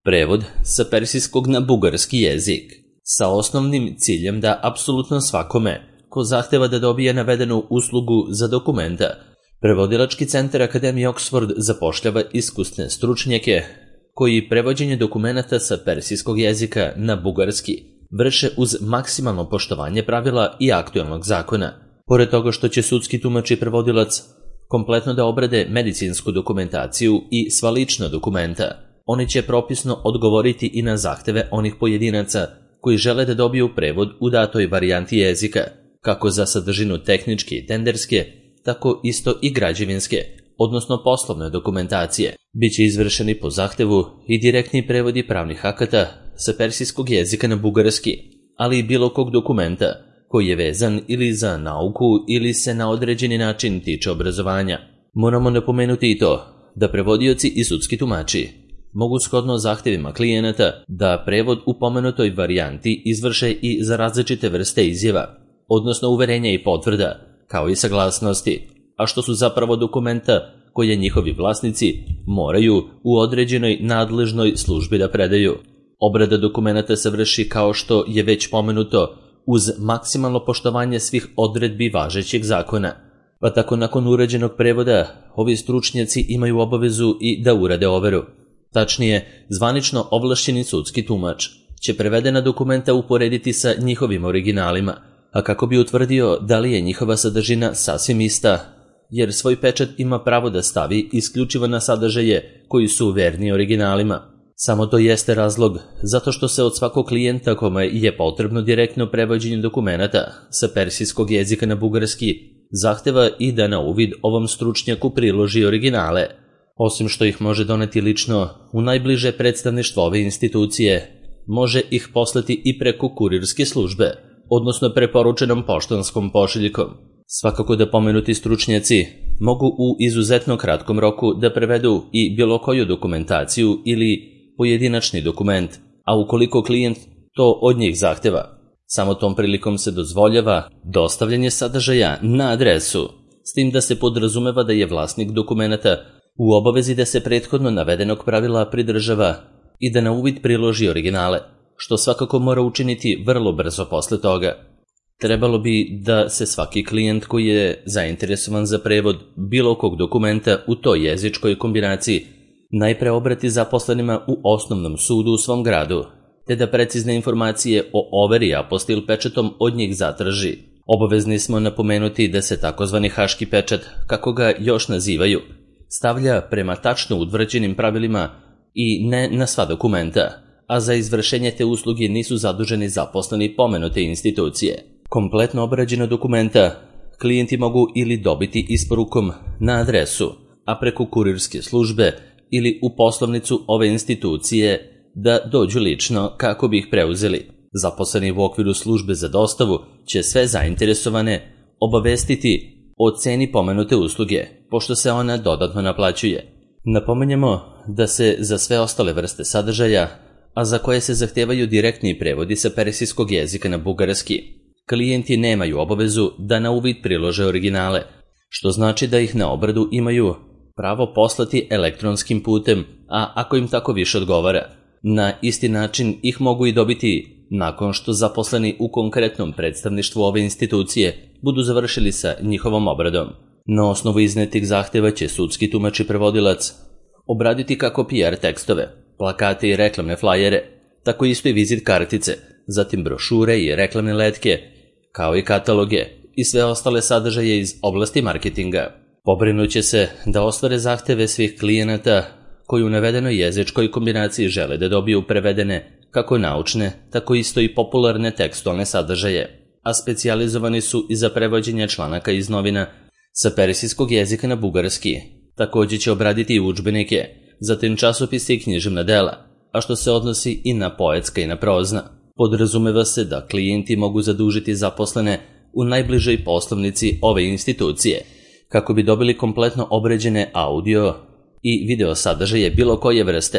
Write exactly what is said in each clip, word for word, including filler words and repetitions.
Prevod sa persijskog na bugarski jezik, sa osnovnim ciljem da apsolutno svakome ko zahteva da dobije navedenu uslugu za dokumenta, Prevodilački centar Akademije Oxford zapošljava iskusne stručnjake koji prevođenje dokumenata sa persijskog jezika na bugarski vrše uz maksimalno poštovanje pravila i aktuelnog zakona. Pored toga što će sudski tumač i prevodilac kompletno da obrade medicinsku dokumentaciju i sva lična dokumenta, oni će propisno odgovoriti i na zahteve onih pojedinaca koji žele da dobiju prevod u datoj varijanti jezika, kako za sadržinu tehničke i tenderske, tako isto i građevinske, odnosno poslovne dokumentacije. Biće izvršeni po zahtevu i direktni prevodi pravnih akata sa persijskog jezika na bugarski, ali i bilo kog dokumenta koji je vezan ili za nauku ili se na određeni način tiče obrazovanja. Moramo napomenuti i to da prevodioci i sudski tumači mogu shodno zahtevima klijenata da prevod u pomenutoj varijanti izvrše i za različite vrste izjava, odnosno uverenja i potvrda, kao i saglasnosti, a što su zapravo dokumenta koje njihovi vlasnici moraju u određenoj nadležnoj službi da predaju. Obrada dokumenata se vrši, kao što je već pomenuto, uz maksimalno poštovanje svih odredbi važećeg zakona, pa tako nakon urađenog prevoda ovi stručnjaci imaju obavezu i da urade overu. Tačnije, zvanično ovlašćeni sudski tumač će prevedena dokumenta uporediti sa njihovim originalima, a kako bi utvrdio da li je njihova sadržina sasvim ista, jer svoj pečat ima pravo da stavi isključivo na sadržaje koji su verni originalima. Samo to jeste razlog zato što se od svakog klijenta kome je potrebno direktno prevođenje dokumenata sa persijskog jezika na bugarski zahteva i da na uvid ovom stručnjaku priloži originale. Osim što ih može doneti lično u najbliže predstavništvo ove institucije, može ih poslati i preko kurirske službe, odnosno preporučenom poštanskom pošiljkom. Svakako da pomenuti stručnjaci mogu u izuzetno kratkom roku da prevedu i bilo koju dokumentaciju ili pojedinačni dokument, a ukoliko klijent to od njih zahteva, samo tom prilikom se dozvoljava dostavljanje sadržaja na adresu, s tim da se podrazumeva da je vlasnik dokumenata u obavezi da se prethodno navedenog pravila pridržava i da na uvid priloži originale, što svakako mora učiniti vrlo brzo posle toga. Trebalo bi da se svaki klijent koji je zainteresovan za prevod bilo kog dokumenta u toj jezičkoj kombinaciji najpre obrati zaposlenima u osnovnom sudu u svom gradu, te da precizne informacije o overi apostil pečatom od njih zatraži. Obavezni smo napomenuti da se takozvani haški pečat, kako ga još nazivaju, stavlja prema tačno utvrđenim pravilima i ne na sva dokumenta, a za izvršenje te usluge nisu zaduženi zaposleni pomenute institucije. Kompletno obrađena dokumenta klijenti mogu ili dobiti isporukom na adresu, a preko kurirske službe ili u poslovnicu ove institucije da dođu lično kako bi ih preuzeli. Zaposleni u okviru službe za dostavu će sve zainteresovane obavestiti o ceni pomenute usluge, pošto se ona dodatno naplaćuje. Napomenjemo da se za sve ostale vrste sadržaja, a za koje se zahtevaju direktni prevodi sa persijskog jezika na bugarski, klijenti nemaju obavezu da na uvid prilože originale, što znači da ih na obradu imaju pravo poslati elektronskim putem, a ako im tako više odgovara, na isti način ih mogu i dobiti nakon što zaposleni u konkretnom predstavništvu ove institucije budu završili sa njihovom obradom. Na osnovu iznetih zahteva će sudski tumač i prevodilac obraditi kako P R tekstove, plakate i reklamne flajere, tako isto i vizit kartice, zatim brošure i reklamne letke, kao i kataloge i sve ostale sadržaje iz oblasti marketinga. Pobrinuće se da ostvare zahteve svih klijenata koji u navedenoj jezičkoj kombinaciji žele da dobiju prevedene kako naučne, tako isto i popularne tekstualne sadržaje, a specijalizovani su i za prevođenje članaka iz novina sa persijskog jezika na bugarski. Također će obraditi i udžbenike, zatim časopise i književna dela, a što se odnosi i na poetska i na prozna. Podrazumeva se da klijenti mogu zadužiti zaposlene u najbližoj poslovnici ove institucije, kako bi dobili kompletno obrađene audio i video sadržaje bilo koje vrste,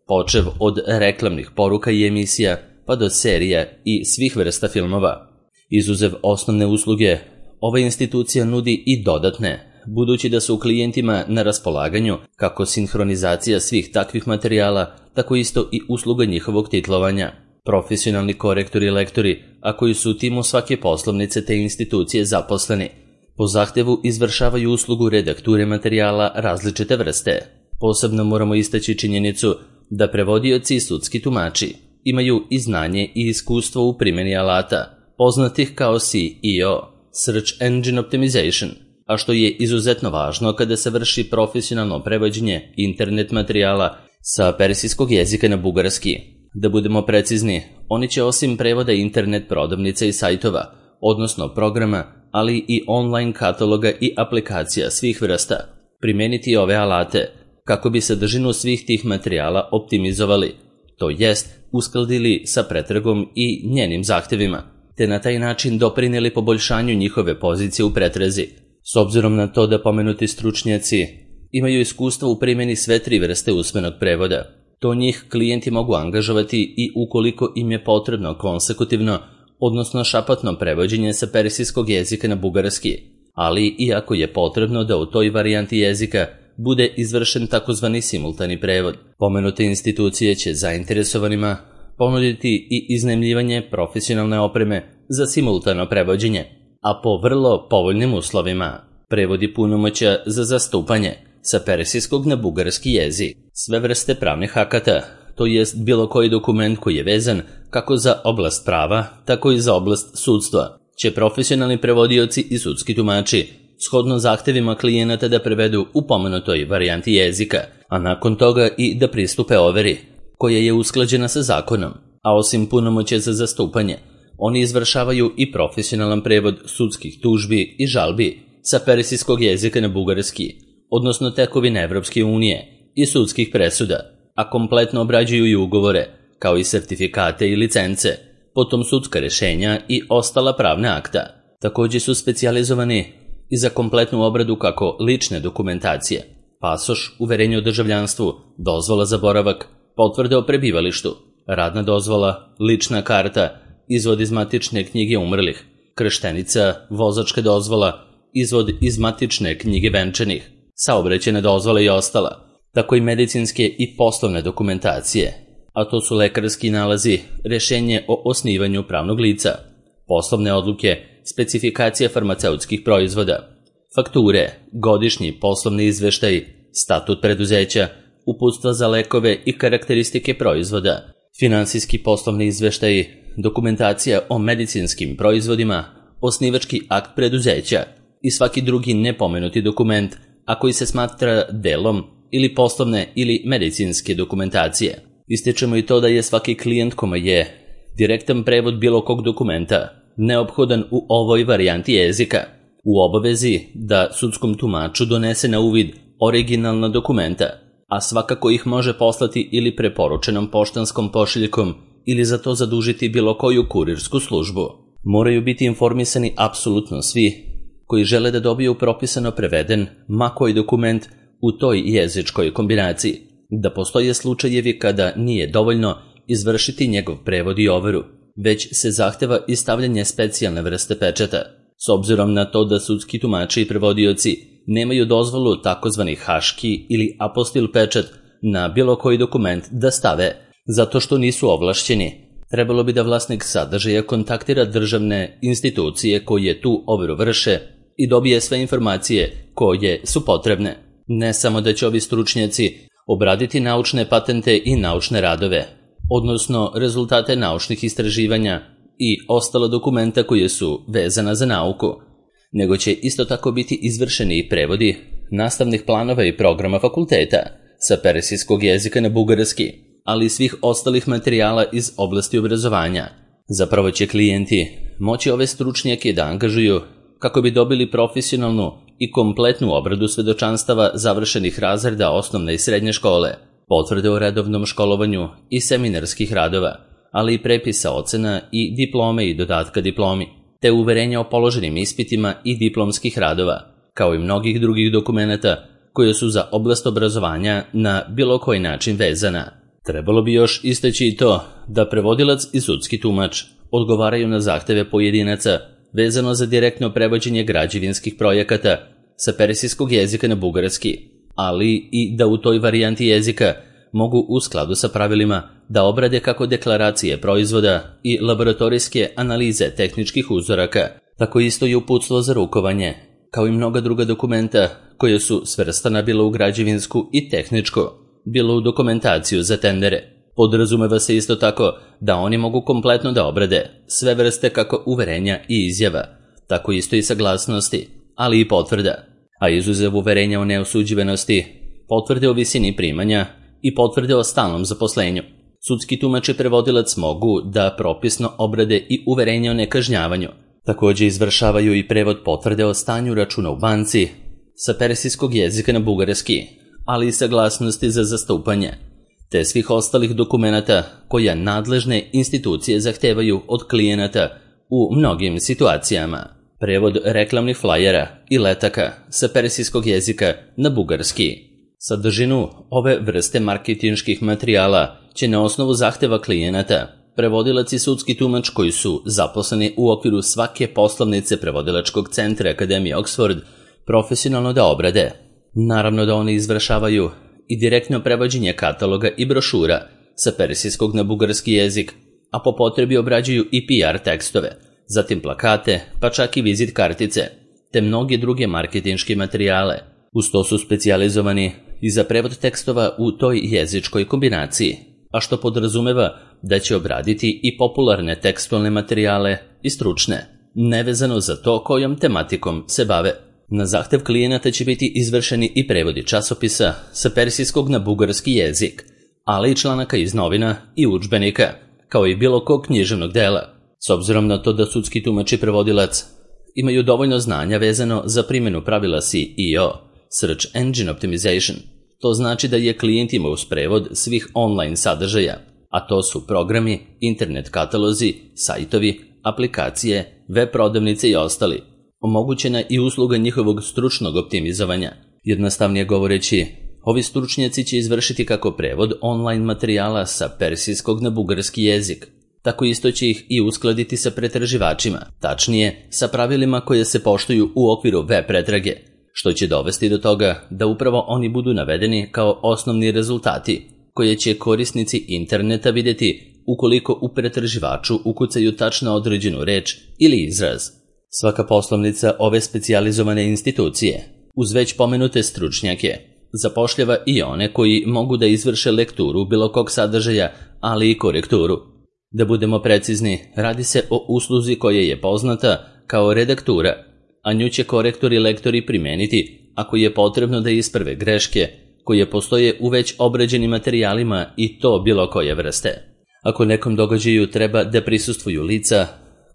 počev od reklamnih poruka i emisija pa do serija i svih vrsta filmova. Izuzev osnovne usluge, ova institucija nudi i dodatne, budući da su klijentima na raspolaganju kako sinhronizacija svih takvih materijala, tako isto i usluga njihovog titlovanja. Profesionalni korektori i lektori, a koji su u timu svake poslovnice te institucije zaposleni, po zahtevu izvršavaju uslugu redakture materijala različite vrste. Posebno moramo istaći činjenicu da prevodioci i sudski tumači imaju i znanje i iskustvo u primjeni alata, poznatih kao S E O, Search Engine Optimization, a što je izuzetno važno kada se vrši profesionalno prevođenje internet materijala sa persijskog jezika na bugarski. Da budemo precizni, oni će osim prevoda internet prodavnica i sajtova, odnosno programa, ali i online kataloga i aplikacija svih vrsta, primijeniti ove alate kako bi sadržinu svih tih materijala optimizovali, to jest uskladili sa pretragom i njenim zahtevima, te na taj način doprinijeli poboljšanju njihove pozicije u pretrazi. S obzirom na to da pomenuti stručnjaci imaju iskustvo u primjeni sve tri vrste usmenog prevoda, to njih klijenti mogu angažovati i ukoliko im je potrebno konsekutivno, odnosno šapatno prevođenje sa persijskog jezika na bugarski, ali i ako je potrebno da u toj varijanti jezika bude izvršen takozvani simultani prevod. Pomenute institucije će zainteresovanima ponuditi i iznajmljivanje profesionalne opreme za simultano prevođenje, a po vrlo povoljnim uslovima prevodi punomoćja za zastupanje sa persijskog na bugarski jezik, sve vrste pravnih akata, to jest bilo koji dokument koji je vezan kako za oblast prava, tako i za oblast sudstva, će profesionalni prevodioci i sudski tumači shodno zahtevima klijenata da prevedu u pomenutoj varijanti jezika, a nakon toga i da pristupe overi, koja je usklađena sa zakonom, a osim punomoćja za zastupanje, oni izvršavaju i profesionalan prevod sudskih tužbi i žalbi sa persijskog jezika na bugarski, odnosno tekovine Evropske unije i sudskih presuda, a kompletno obrađuju i ugovore, kao i sertifikate i licence, potom sudska rješenja i ostala pravna akta. Također su specijalizovani i za kompletnu obradu kako lične dokumentacije, pasoš, uverenje o državljanstvu, dozvola za boravak, potvrde o prebivalištu, radna dozvola, lična karta, izvod iz matične knjige umrlih, krštenica, vozačka dozvola, izvod iz matične knjige venčanih, saobraćajne dozvole i ostala, tako i medicinske i poslovne dokumentacije, a to su lekarski nalazi, rješenje o osnivanju pravnog lica, poslovne odluke, specifikacija farmaceutskih proizvoda, fakture, godišnji poslovni izveštaj, statut preduzeća, uputstva za lekove i karakteristike proizvoda, finansijski poslovni izveštaj, dokumentacija o medicinskim proizvodima, osnivački akt preduzeća i svaki drugi nepomenuti dokument, a koji se smatra delom ili poslovne ili medicinske dokumentacije. Ističemo i to da je svaki klijent kome je direktan prevod bilo kog dokumenta neophodan u ovoj varijanti jezika, u obavezi da sudskom tumaču donese na uvid originalna dokumenta, a svakako ih može poslati ili preporučenom poštanskom pošiljkom ili za to zadužiti bilo koju kurirsku službu. Moraju biti informisani apsolutno svi koji žele da dobiju propisano preveden ma koji dokument u toj jezičkoj kombinaciji, da postoje slučajevi kada nije dovoljno izvršiti njegov prevod i overu, već se zahteva i stavljanje specijalne vrste pečata, s obzirom na to da sudski tumači i prevodioci nemaju dozvolu takozvani haški ili apostil pečat na bilo koji dokument da stave, zato što nisu ovlašćeni. Trebalo bi da vlasnik sadržaja kontaktira državne institucije koje tu overu vrše i dobije sve informacije koje su potrebne. Ne samo da će ovi stručnjaci obraditi naučne patente i naučne radove, odnosno rezultate naučnih istraživanja i ostala dokumenta koje su vezana za nauku, nego će isto tako biti izvršeni i prevodi nastavnih planova i programa fakulteta sa persijskog jezika na bugarski, ali i svih ostalih materijala iz oblasti obrazovanja. Zapravo će klijenti moći ove stručnjake da angažuju kako bi dobili profesionalnu i kompletnu obradu svedočanstava završenih razreda osnovne i srednje škole, potvrde o redovnom školovanju i seminarskih radova, ali i prepisa ocena i diplome i dodatka diplomi, te uverenja o položenim ispitima i diplomskih radova, kao i mnogih drugih dokumenata koje su za oblast obrazovanja na bilo koji način vezana. Trebalo bi još istaći i to da prevodilac i sudski tumač odgovaraju na zahteve pojedinaca vezano za direktno prevođenje građevinskih projekata sa persijskog jezika na bugarski, ali i da u toj varijanti jezika mogu u skladu sa pravilima da obrade kako deklaracije proizvoda i laboratorijske analize tehničkih uzoraka, tako isto i uputstvo za rukovanje, kao i mnoga druga dokumenta koje su svrstana bilo u građevinsku i tehničku, bilo u dokumentaciju za tendere. Podrazumeva se isto tako da oni mogu kompletno da obrade sve vrste kako uverenja i izjava, tako isto i saglasnosti, ali i potvrda, a izuzev uverenja o neosuđivenosti, potvrde o visini primanja i potvrde o stalnom zaposlenju. Sudski tumač i prevodilac mogu da propisno obrade i uverenja o nekažnjavanju. Također izvršavaju i prevod potvrde o stanju računa u banci sa persijskog jezika na bugarski, ali i saglasnosti za zastupanje, te svih ostalih dokumenata koja nadležne institucije zahtevaju od klijenata u mnogim situacijama. Prevod reklamnih flajera i letaka sa persijskog jezika na bugarski. Sadržinu ove vrste marketinških materijala će na osnovu zahteva klijenata prevodilac i sudski tumač koji su zaposleni u okviru svake poslovnice prevodilačkog centra Akademije Oxford profesionalno da obrade. Naravno da oni izvršavaju i direktno prevođenje kataloga i brošura sa persijskog na bugarski jezik, a po potrebi obrađuju i P R tekstove, zatim plakate, pa čak i vizit kartice, te mnoge druge marketinške materijale. Uz to su specijalizovani i za prevod tekstova u toj jezičkoj kombinaciji, a što podrazumeva da će obraditi i popularne tekstualne materijale i stručne, nevezano za to kojom tematikom se bave. Na zahtev klijenata će biti izvršeni i prevodi časopisa sa persijskog na bugarski jezik, ali i članaka iz novina i udžbenika, kao i bilo kog književnog dela. S obzirom na to da sudski tumač i prevodilac imaju dovoljno znanja vezano za primjenu pravila S E O, Search Engine Optimization, to znači da je klijent imao uz prevod svih online sadržaja, a to su programi, internet katalozi, sajtovi, aplikacije, web prodavnice i ostali. Omogućena i usluga njihovog stručnog optimizovanja. Jednostavnije govoreći, ovi stručnjaci će izvršiti kako prevod online materijala sa persijskog na bugarski jezik, tako isto će ih i uskladiti sa pretraživačima, tačnije sa pravilima koje se poštuju u okviru web pretrage, što će dovesti do toga da upravo oni budu navedeni kao osnovni rezultati koje će korisnici interneta vidjeti ukoliko u pretraživaču ukucaju tačno određenu reč ili izraz. Svaka poslovnica ove specijalizovane institucije, uz već pomenute stručnjake, zapošljava i one koji mogu da izvrše lekturu bilo kog sadržaja, ali i korekturu. Da budemo precizni, radi se o usluzi koja je poznata kao redaktura, a nju će korektori i lektori primeniti ako je potrebno da isprave greške koje postoje u već obrađenim materijalima i to bilo koje vrste. Ako nekom događaju treba da prisustvuju lica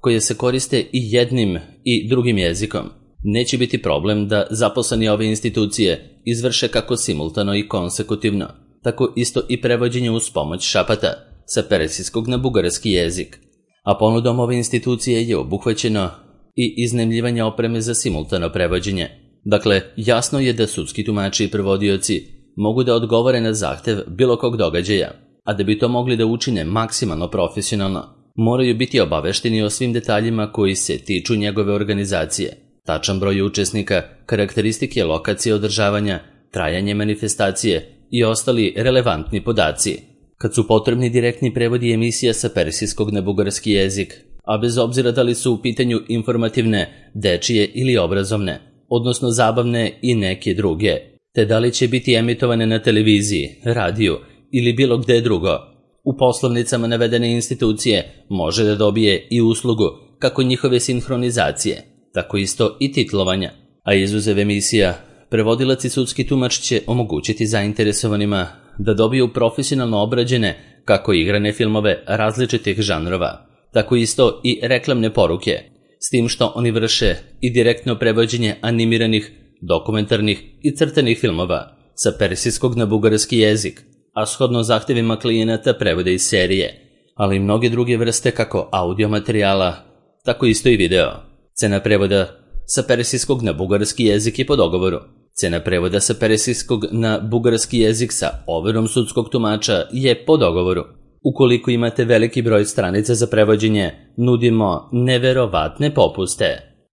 koje se koriste i jednim i drugim jezikom, neće biti problem da zaposleni ove institucije izvrše kako simultano i konsekutivno, tako isto i prevođenje uz pomoć šapata sa persijskog na bugarski jezik. A ponudom ove institucije je obuhvaćeno i iznajmljivanje opreme za simultano prevođenje. Dakle, jasno je da sudski tumači i prevodioci mogu da odgovore na zahtev bilo kog događaja, a da bi to mogli da učine maksimalno profesionalno, moraju biti obavešteni o svim detaljima koji se tiču njegove organizacije, tačan broj učesnika, karakteristike lokacije održavanja, trajanje manifestacije i ostali relevantni podaci. Kad su potrebni direktni prevodi emisija sa persijskog na bugarski jezik, a bez obzira da li su u pitanju informativne, dečije ili obrazovne, odnosno zabavne i neke druge, te da li će biti emitovane na televiziji, radiju ili bilo gde drugo, u poslovnicama navedene institucije može da dobije i uslugu kako njihove sinhronizacije, tako isto i titlovanja, a izuzev emisija, prevodilac i sudski tumač će omogućiti zainteresovanima da dobiju profesionalno obrađene kako igrane filmove različitih žanrova, tako isto i reklamne poruke, s tim što oni vrše i direktno prevođenje animiranih, dokumentarnih i crtanih filmova sa persijskog na bugarski jezik, a shodno zahtevima klijenata prevode iz serije, ali i mnoge druge vrste kako audio materijala, tako isto i video. Cena prevoda sa persijskog na bugarski jezik je po dogovoru. Cena prevoda sa persijskog na bugarski jezik sa overom sudskog tumača je po dogovoru. Ukoliko imate veliki broj stranica za prevođenje, nudimo neverovatne popuste.